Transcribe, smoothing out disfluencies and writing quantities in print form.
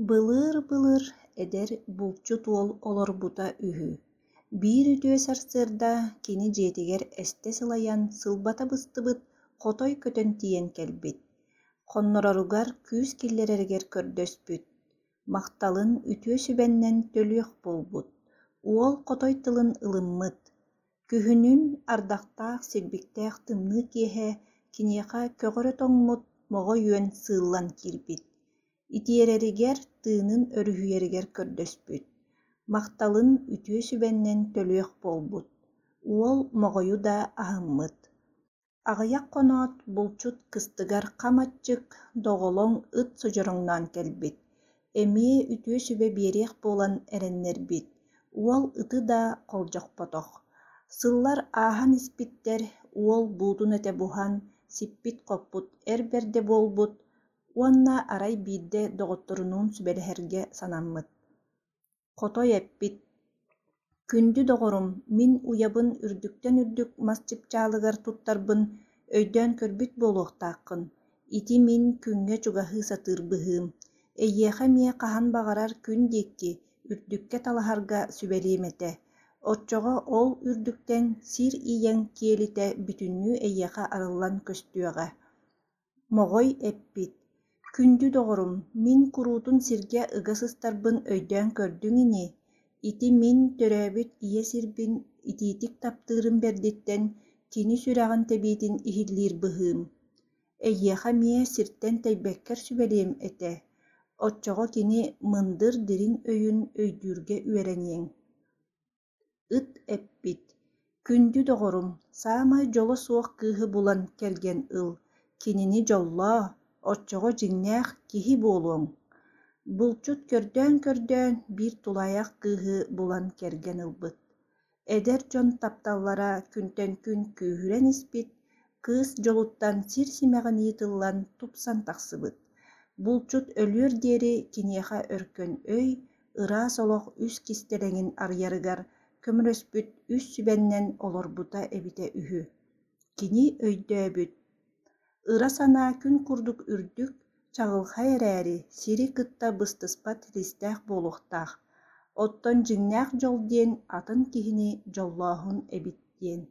Былыыр-былыр эдэр булчут уол олорбута үһү. Биир үтүө сарсыарда кини дьиэтигэр эстэ сылайан сылбата быстыбыт хотой көтөн тиийэн кэлбит. Хоннороругар күүс киллэрэригэр көрдөспүт. Махталын үтүө сүбэннэн төлүөх буолбут. Уол хотой тылын ылыммыт. Күһүнүн ардахтаах, силбиктээх тымныы киэһэ киниэхэ көҕөрө тоҥмут моҕой үөн сыыллан киирбит. Итиэрэригэр, тыынын өрүһүйэригэр көрдөспүт, махталын үтүө сүбэннэн төлүөх буолбут, уол моҕойу да аһыммыт. Аҕыйах хоноот, булчут кыстыгар хам аччык, доҕолоҥ ыт содьороҥноон кэлбит, эмиэ үтүө сүбэ биэриэх буолан эрэннэрбит, уол ыты да холдьохпотох. Сыллар ааһан испиттэр, уол буутун этэ буһан, сиппит-хоппут эр бэрдэ буолбут, Уонна арай биирдэ доҕотторунуун сүбэлэһэргэ санаммыт. Хотой эппит: «Күндү доҕорум, мин уйабын үрдүктэн үрдүк мас чыпчаалыгар туттарбын өйдөөн көрбүт буолуохтааххын. Ити мин күҥҥэ чугаһыы сатыыр быһыым. Эйиэхэ эмиэ хаһан баҕарар күн диэки, үрдүккэ талаһарга сүбэлиэм этэ. Оччоҕо ол үрдүктэн сир ийэҥ киэлитэ бүтүннүү эйиэхэ арыллан көстүөҕэ Моҕой эппит: «Күндү доҕорум, мин куруутун сиргэ ыга сыстарбын өйдөөн көрдүҥ ини, ити мин төрөөбүт ийэ сирбин итиитик таптыырым бэрдиттэн кини сүрэҕин тэбиитин иһиллиир быһыым. Эйиэхэ эмиэ сиртэн тэйбэккэр сүбэлиэм этэ, оччоҕо кини мындыр дириҥ өйүн өйдүүргэ үөрэниэҥ». Ыт эппит: «Күндү доҕорум, саамай дьоло суох кыыһы булан кэргэн ыл, кинини дьоллоо, оччоҕо дьиҥнээх киһи буолуоҥ». Булчут көрдөөн-көрдөөн биир тулаайах кыыһы булан кэргэн ылбыт. Эдэр дьон тапталлара күнтэн күн күүһүрэн испит, кыыс дьолуттан сир симэҕинии тыллан тупсан тахсыбыт. Булчут өлүөр диэри киниэхэ өркөн өй, ыраас олох үс кистэлэҥин арыйарыгар көмөлөспүт үс сүбэннэн олорбута эбитэ үһү. Кини өйдөөбүт: ыра санаа күн курдук үрдүк, чаҕылхай эрээри, сири кытта быстыспат силистээх буолуохтаах, оттон дьиҥнээх дьол диэн атын киһини дьоллооһун эбит диэн.